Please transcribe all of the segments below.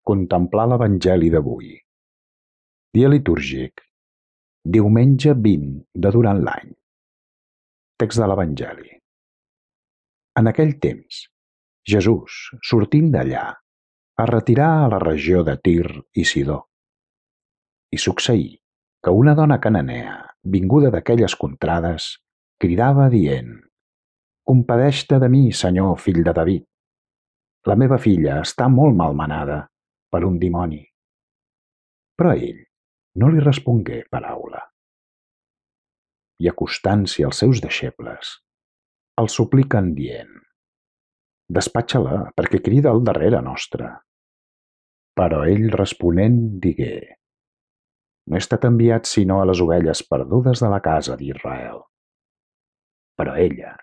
Contemplar l'Evangeli d'avui. Dia litúrgic. Diumenge 20 de durant l'any. Text de l'Evangeli. En aquell temps, Jesús, sortint d'allà, es retirà a la regió de Tir i Sidó. I succeí que una dona cananea, vinguda d'aquelles contrades, cridava dient: «Compadeix-te de mi, Senyor, fill de David. La meva filla està molt malmenada per un dimoni». Però ell no li respongué paraula. I acostant-s'hi als seus deixebles, el supliquen dient: «Despatxa-la, perquè crida al darrere nostre». Però ell responent digué: «No he estat enviat sinó a les ovelles perdudes de la casa d'Israel». Però ella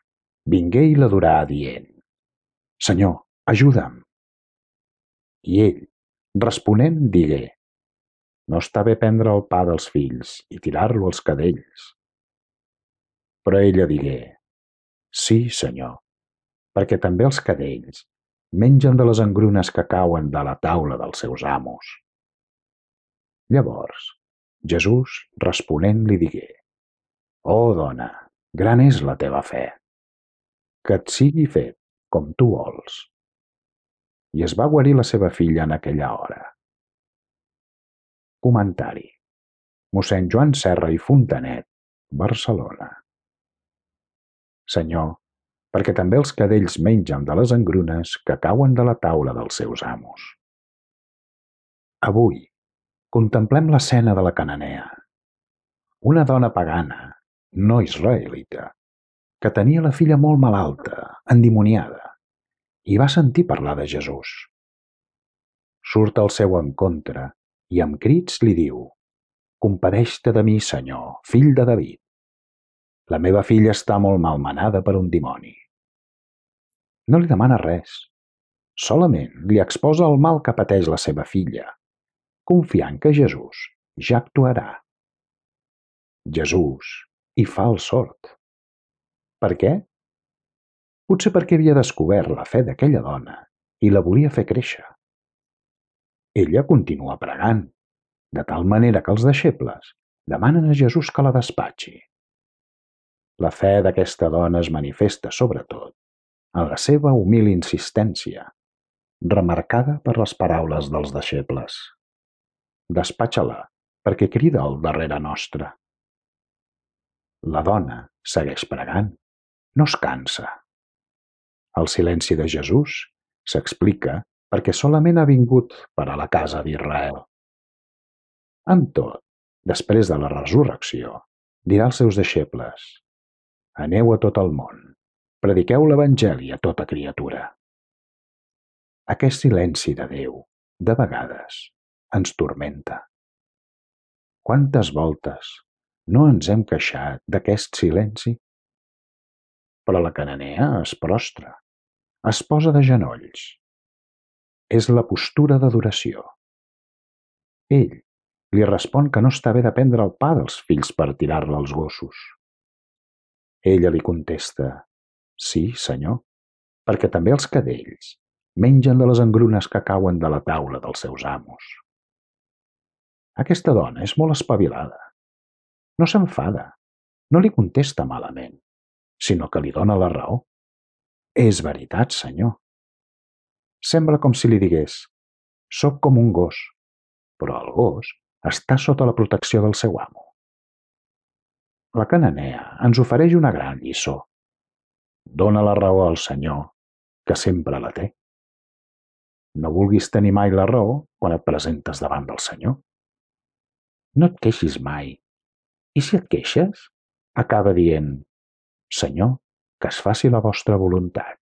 vingué i l'adorà dient: «Senyor, ajuda'm». I ell, responent, digué: «No està bé prendre el pa dels fills i tirar-lo als cadells». Però ella digué: «Sí, Senyor, perquè també els cadells mengen de les engrunes que cauen de la taula dels seus amos». Llavors Jesús, responent, li digué: «Oh, dona, gran és la teva fe. Que et sigui fet com tu vols». I es va guarir la seva filla en aquella hora. Comentari. Mossèn Joan Serra i Fontanet, Barcelona. Senyor, perquè també els cadells mengen de les engrunes que cauen de la taula dels seus amos. Avui contemplem l'escena de la cananea, una dona pagana, no israelita, que tenia la filla molt malalta, endimoniada, i va sentir parlar de Jesús. Surt al seu encontre i amb crits li diu: «Compadeix-te de mi, Senyor, fill de David. La meva filla està molt malmenada per un dimoni». No li demana res, solament li exposa el mal que pateix la seva filla, confiant que Jesús ja actuarà. Jesús hi fa el sord. Per què? Potser perquè havia descobert la fe d'aquella dona i la volia fer créixer. Ella continua pregant, de tal manera que els deixebles demanen a Jesús que la despatxi. La fe d'aquesta dona es manifesta sobretot en la seva humil insistència, remarcada per les paraules dels deixebles: «Despatxa-la, perquè crida al darrere nostre». La dona segueix pregant, no es cansa. El silenci de Jesús s'explica perquè solament ha vingut per a la casa d'Israel. Amb tot, després de la resurrecció, dirà als seus deixebles: «Aneu a tot el món, prediqueu l'Evangeli a tota criatura». Aquest silenci de Déu, de vegades, ens turmenta. Quantes voltes no ens hem queixat d'aquest silenci? Però la cananea es prostra, es posa de genolls. És la postura d'adoració. Ell li respon que no està bé de prendre el pa dels fills per tirar-la als gossos. Ella li contesta: «Sí, Senyor, perquè també els cadells mengen de les engrunes que cauen de la taula dels seus amos». Aquesta dona és molt espavilada. No s'enfada, no li contesta malament, sinó que li dona la raó. «És veritat, Senyor». Sembla com si li digués: «Soc com un gos, però el gos està sota la protecció del seu amo». La cananea ens ofereix una gran lliçó. Dóna la raó al Senyor, que sempre la té. No vulguis tenir mai la raó quan et presentes davant del Senyor. No et queixis mai, i si et queixes, acaba dient: «Senyor, que es faci la vostra voluntat».